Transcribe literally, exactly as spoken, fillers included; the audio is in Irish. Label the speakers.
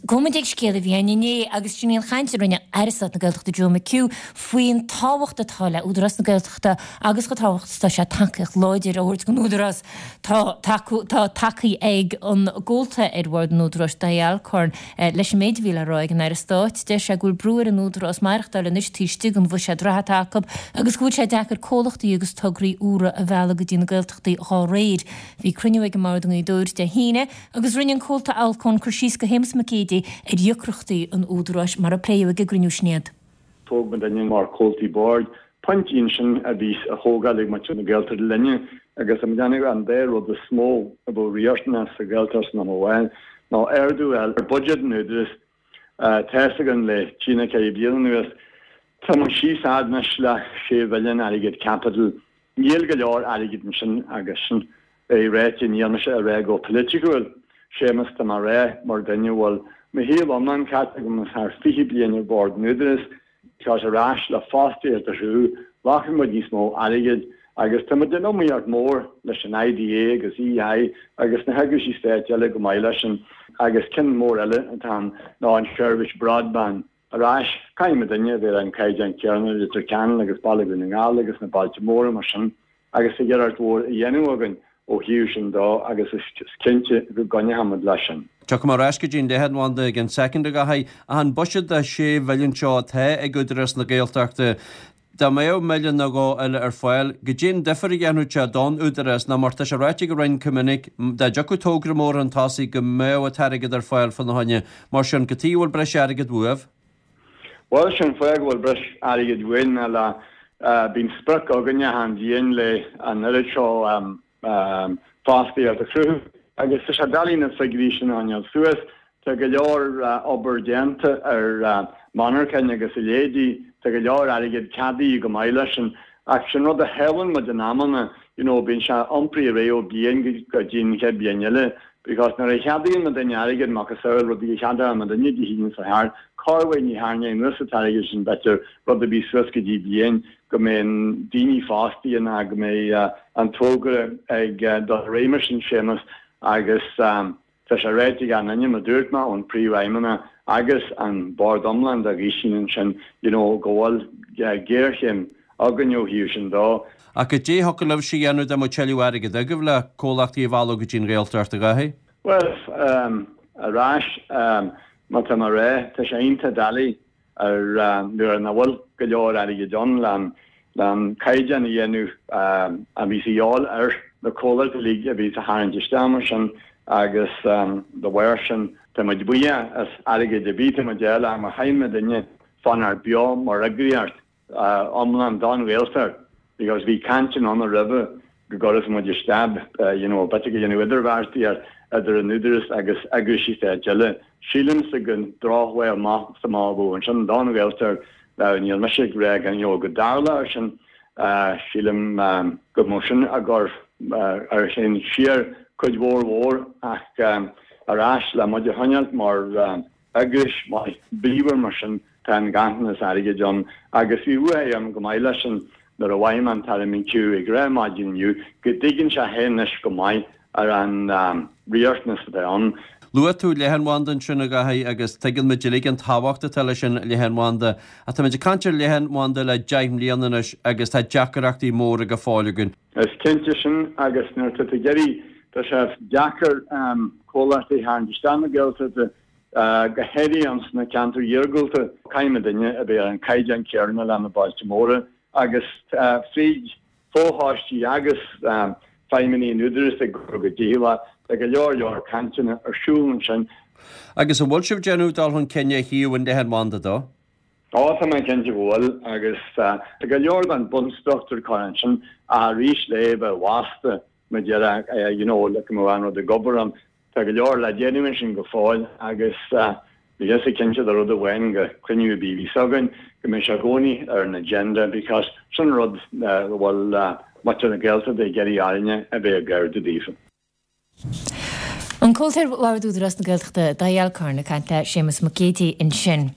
Speaker 1: Gabhfaidh muid ag scéal a bhí ann inné agus sin í an chaint a rinne Aire Stáit na Gaeltachta Joe McHugh faoin tábhacht atá le Údarás na Gaeltachta agus chomh tábhachtach is atá sé tacaíocht láidir a thabhairt don Údarás. Tá tacú tá tacaí ag an gcomhalta ar bhord an Údaráis Dáithí Alcorn leis an méid a bhí le rá ag an Aire Stáit. Deir sé go bhfuil brú ar an Údarás maireachtáil anois taobh istigh den bhuiséad reatha atá acu agus go bhfuil sé deacair comhlachtaí agus tograí úra a mhealladh go dtí na Gaeltachtaí dhá réir. Bhí cruinniú ag an mBord i nGaoth Dobhair Dé hAoine agus rinne an comhalta Alcorn cur síos go Shéamus Mac Géidigh ar dheacrachtaí an Údaráis mar a pléadh ag an gcruinniú sin iad.
Speaker 2: Thóg muidinne mar chomhaltaí boird pointí ansin a bhí á thógáil ag muintir na Gaeltachta linne agus tá muid ag déanamh an dá rud is mó a bheadh riachtanach sa Ghaeltacht san am amháin ná ardú a fháil ar buiséad an Údaráis. Tá fhios againn le trí nó ceithre bliana anuas tá muid síos fhad anois le sé mhilliún airgead caipitil. Níl go leor airgid ansin agus sin é ráite, níl mise ag rá go polaitiúil, Séamus, tá mé ag rá mar duine a bhfuil mo shaol iomlán caite agam is thar fiche bliain ar bhord an Údaráis, tá sé ar ais le fostaíocht a chruthú, ghlacann muid níos mó airgid agus tá muid in iomaíocht mór leis an IDA agus EI agus na heagraisí stáit eile go maith leis sin agus ceann mór eile atá ann ná an seirbhís broadband. Ar ais, caithfidh muidinne a bheith ar an caighdeán céanna le Leitir Ceanainn agus Baile Dhún na nGall agus na bailte móra mar sin agus tá iarracht mhór á dhéanamh againn ó thaobh sin dó agus is cinnte go gcoinneoidh muid leis sin.
Speaker 3: Tiocfaidh mé ar ais go dtí an leathanbhanda i gceann soicind, a Dháithí, ach an buiséad de sé mhilliún seo atá ag Údarás na Gaeltachta, dá mbeadh milliún nó dhó eile ar fáil, goidé an difear a dhéanfadh sé don Údarás nó mar tá sé ráite ag an Roinn go minic, dá dtiocfadh togra mór chun tosaigh go mbeadh an t-airgead ar fáil fána choinne. Mar sin, cad chuige a bhfuil breis airgid uaibh?
Speaker 2: Bhuel, sin fáth go bhfuil breis airgid uainn ná le, bíonn sprioc againne achan bhliain le an oiread seo fostaíocht a chruthú agus tá sé doiligh na figiúirí sin a choinneáil suas. Tá go leor obair déanta ar monarchain agus a leithéidí, tá go leor airgead ceadaithe go maith leis sin ach sin rud a shíleann muid in amanna, you know, bíonn sé iompraithe ar aghaidh ó bliain go dtí an chéad bhliain eile because nuair a cheadaíonn muidinne airgead, macasamhail rudaí a cheadaíonn muidinne Dé hAoine seo thart, corruair ní tharraingeoidh anuas an t-airgead sin b'fhéidir rud a bhí suas go dtí bliain go mbeidh daoine fostaithe ná go mbeidh an togra ag dul ar aghaidh mar sin, Séamus, agus tá sé ráite ag an duine, mar dúirt mé, ón príomhfheidhmeannach agus an bord iomlán dá ghaois sin ansin, you know, go bhfuil géarchéim againn ó thaobh sin dó.
Speaker 3: Ach goidé a thiocfadh libhse a dhéanamh dá mbeadh tuilleadh airgid agaibh le comhlachtaí a mhealladh go dtí an Ghaeltacht, a Dháithí?
Speaker 2: Bhuel, ar ais, má tá mé ag rá, tá sé iontach doiligh ar nuair nach bhfuil go leor airgid ann le an caighdeán a dhéanamh a bhí a dhíobháil ar na comhlachtaí uilig a bhí a tharraingt isteach mar sin agus dá bharr sin tá muid buíoch as airgead ar bith atá muid a fháil ach má chaithfidh muidinne fanacht beo mar eagraíocht iomlán don Ghaeltacht because bhí cainteanna ann roimhe go gcuirfeadh muid isteach you know b'fhéidir go dhéanamh idirbheartaíocht idir an Údarás agus eagraisí stáit eile. Sílimse gur drochmhaith amach is amach a bheadh ansin don Ghaeltacht now níl mise ag rá go you know go dtarlódh sin sílim go mbeadh sin ag cur ár chéim siar cuid mhór mhór ach ar ais le muid a choinneáilt mar eagrais maith bríomhar mar sin tá an ganntanas airgid ann agus bhí lúcháir orm go maith leis sin nuair a mhaígh an tAire McHugh ag rá maidin inniu go dtuigeann sé féin anois go maith ar an riachtanas atá ann.
Speaker 3: Luaigh tú leathanbhanda ansin, a Dháithí, agus tuigeann muid uilig an tábhacht atá leis an leathanbhanda. Ach táimid ag caint ar leathanbhanda le deich mbliana anois agus tá deacrachtaí móra go fóill againn.
Speaker 2: Is cinnte sin agus nuair atá tú ag iarraidh, tá sé deacair comhlachtaí a tharraingt isteach na Gaeltachta, go háirithe ins na ceantair iargúlta. Caithfidh muidinne a bheith ar an caighdeán céanna le na bailte móra agus fríd fochoistí agus feidhmeannaigh an Údaráis ag obair go dícheallach, tá go leor leor cainteanna ar siúl ansin.
Speaker 3: Agus an bhfuil sibh ag déanamh dul chun cinn ó thaobh an leathanbhanda dó?
Speaker 2: Ó, tá mé cinnte go bhfuil agus tá go leor den bunstruchtúr curtha ansin ach arís le bheith bhasta mar déarfá you know le go mbeadh an rud ag obair ann. Tá go leor le déanamh ansin go fóill agus bhí mise cinnte de rud amháin go cruinniú ar bith a bhíos againn go mbeidh sé i gcónaí ar an agenda because sin rud a bhfuil muintir na Gaeltachta ag iarraidh orainne a bheith ag ardú daofa.
Speaker 1: An Comhalta ar Bhord Údarás na Gaeltachta, Dáithí Alcorn, ag caint le Séamus Mac Géidigh ansin.